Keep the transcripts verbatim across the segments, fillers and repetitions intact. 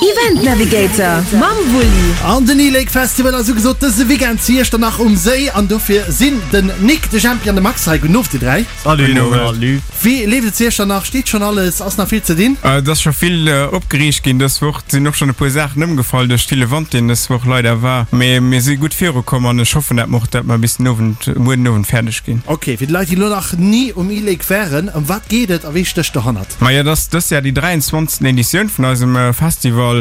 Event Navigator mam Wulli. An den e-Lake Festival ass ugesot dëse Weekend zu Iechternach um Séi an dofir sinn den Nick, de Jempi an de Max hei. Gudden Owend dir dräi. Salut. Salut. Wéi leeft et zu Iechternach? Steet schonn alles? Ass nach vill ze dinn? Et ass scho vill opgeriicht ginn dës Woch. Et sinn och schonn e puer Saachen ëmgefall duerch ville Wand deen dës Woch leider war. Mee mir si gutt virukomm an ech hoffen dat mer och dat mer bis den Owend, muer den Owend fäerdeg ginn. Ok, fir déi Leit déi elo nach ni um e-Lake waren, ëm wat geet et a wee stécht dohannert? Majo, et ass dës Jahr déi dräianzwanzegsten Editioun vun eisem Festival,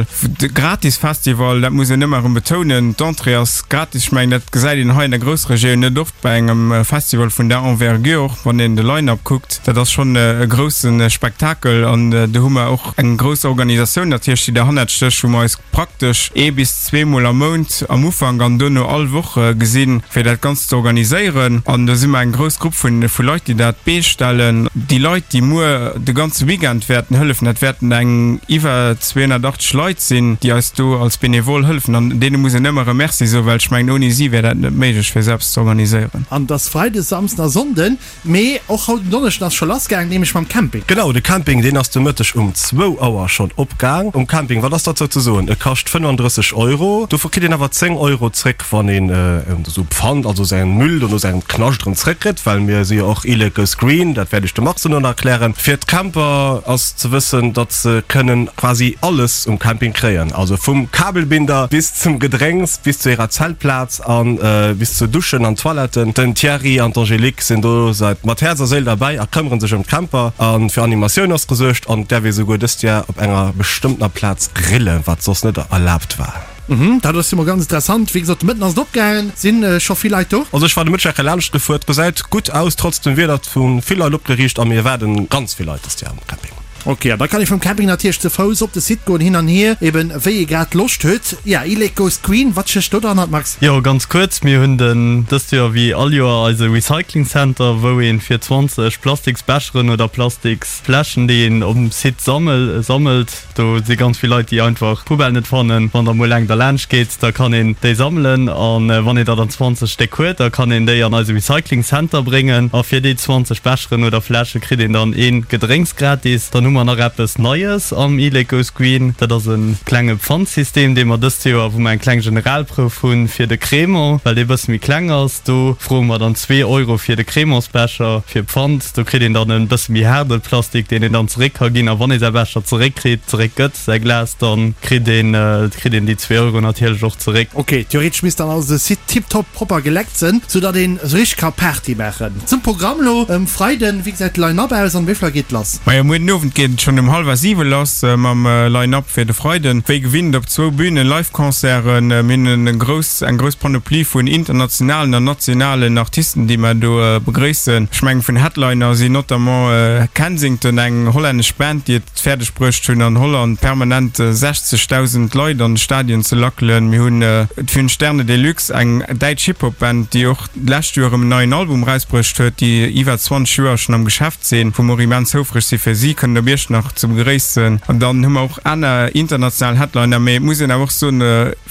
de gratis Festival, dat muss een ëmmer erëm betounen. D'Entrée ass gratis. Ech mengen dat gesäit een hei an der Groussregioun net oft bei engem Festival vun där Envergure, och wann een de Line-up kuckt. Dat ass schonn e grousse Spektakel an do hu mer och eng grouss Organisatioun natierlech, déi derhannert stécht, wou mer eis praktesch ee bis zweemol am Mount am Ufank an duerno all Woch gesinn, fir dat Ganzt ze organiséieren. An do si mer eng grouss Grupp vun vu Leit, déi dat d'Bee stellen. Déi Leit, déi muer de ganze Weekend wäerten hëllefen, dat wäerten eng iwwer zweehunnertachtzeg Leit sinn, déi eis do als Benevole hëllefen. An deene muss een ëmmer e Merci soen, well ech mengen, ouni si wär dat net méiglech, fir esou eppes ze organiséieren. An et ass Freides, Samsden a Sonnden, mee och haut en Donneschden ass scho lass gaang, nämlech mam Camping. Genau, de Camping deen ass de Mëtteg um zwou Auer schonn opgaang. Um Camping, wat ass derzou ze soen? E kascht fënnefandrësseg Euro, dovun kritt een awer zéng Euro zréck, wann een esou Pfand, also säin Müll, dono säin Knascht erëm zréckkritt, well mir si jo och E-Lake goes green, dat wäert iech de Max dono nach erklären. Fir d'Camper ass ze wëssen, datt se kënnen quasi alles um Camping kréien, also vum Kabelbinder bis zum Gedrénks, bis zu hirer Zeltplaz an bis zu Duschen an Toiletten. Den Thierry an d'Angélique sinn do seit mat Häerz a Séil derbäi a këmmeren sech ëm d'Camper. A fir Animatioun ass gesuergt an et däerf ee souguer dëst Joer op enger bestëmmtener Plaz grillen, wat soss net erlaabt war. Mhm, dat ass jo mol ganz interessant. Wéi gesot, de Mëtten ass et opgaangen. Sinn scho vill Leit do? Also ech war de Mëtteg eng Kéier laanscht gefuer, et gesäit gutt aus trotz dem Wieder. Et hu vill Leit opgeriicht a mir erwaarden ganz vill Leit dëst Joer um Camping. Ok, an da kann ee vum Camping natierlech ze Fouss op de Site goen, hin an hier, eben wéi ee grad Loscht huet. Ja, E-Lake goes green, wat stécht do derhannert, Max? Jo, ganz kuerz, mir hunn den dëst Joer wéi all Joer eise Recycling Center, wou een fir zwanzeg Plastiksbecheren oder Plastiksfläschen, déi een um Site sammel sammelt, do si ganz vill Leit, déi einfach d'Poubelle net fannen, wann der mol eng derlaanscht geet, da kann een déi sammelen an wann een der dann zwanzeg Stéck huet, da kann een déi an eise Recycling Center bréngen a fir déi zwanzeg Becheren oder Fläsche kritt een dann ee Gedrénks gratis. Dann hu mer nach eppes Neies am E-Lake Goes Green. Dat ass e klenge Pfandsystem, dee mer dëst Joer, wou mer eng kleng Generalprouf hunn fir de Crémant, well dee bësse méi kleng ass. Do froe mer dann zwee Euro fir de Crémantsbecher fir Pfand. Do kritt een dann e bësse méi haarde Plastik, deen een dann zeréck ka ginn. A wann ee säi Becher zeréckkritt, zeréckgëtt, säi Glas, da kritt een, kritt een déi zwee Euro natierlech och zeréck. Ok, theoretesch misst dann also de Site tiptop propper geleckt sënn, sou datt een esou richteg ka Party maachen. Zum Programm lo um Freiden, wéi gesäit de Line-Up aus an wéi vill Auer geet lass? Majo, muer den Owend geet et schonn um hallwer siwe lass mam Line-Up fir de Freiden. Wéi gewinnt op zwou Bünen Live-Concerten. Mir hunn e grouss, eng grouss Panoplie vun internationalen an nationalen Artisten, déi mer do begréissen. Ech mengen, vun Headliner sinn notamment Kensington, eng hollännesch Band, déi et fäerdeg bruecht hunn, an Holland permanent sechzegdausend Leit an de Stadion ze lackelen. Mir hunn d'Fünf Sterne Deluxe, eng däitsch Hip-Hop-Band, déi och d'lescht Joer erëm en neien Album erausbruecht huet, déi iwwer zwanzeg Joer schonn am Geschäft sinn, wou mer och immens houfreg si fir si kënnen op Iechternach ze begréissen. An dann hu mer och aner international Headliner, mee et muss een awer och soen,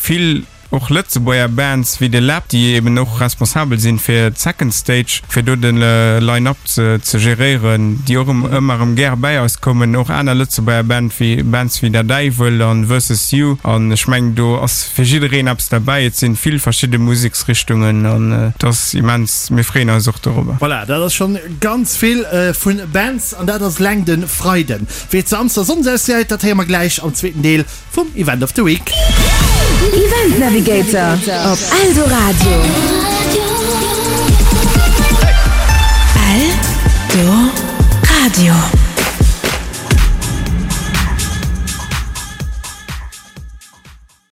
vill och Lëtzebuerger Bands wéi de Läb, déi eben och responsabel sinn fir d'Second Stage, fir do de Line-Up ze geréieren, déi och ëmmer erëm gäre bäi eis kommen. Och aner Lëtzebuerger Band wéi Bands wéi Der Däiwel an Versus You. An ech mengen, do ass fir jiddereen eppes derbäi. Et sinn vill verschidde Museksrichtungen an et ass immens, mir freeën eis och dorobber. Voilà, dat ass schonn ganz vill vu Bands an dat ass eleng de Freiden. Wéi et Samsdes a Sonndes ausgesäit, dat héiere mer gläich am zweeten Deel vum Event of the Week. Event Navigator op Eldoradio.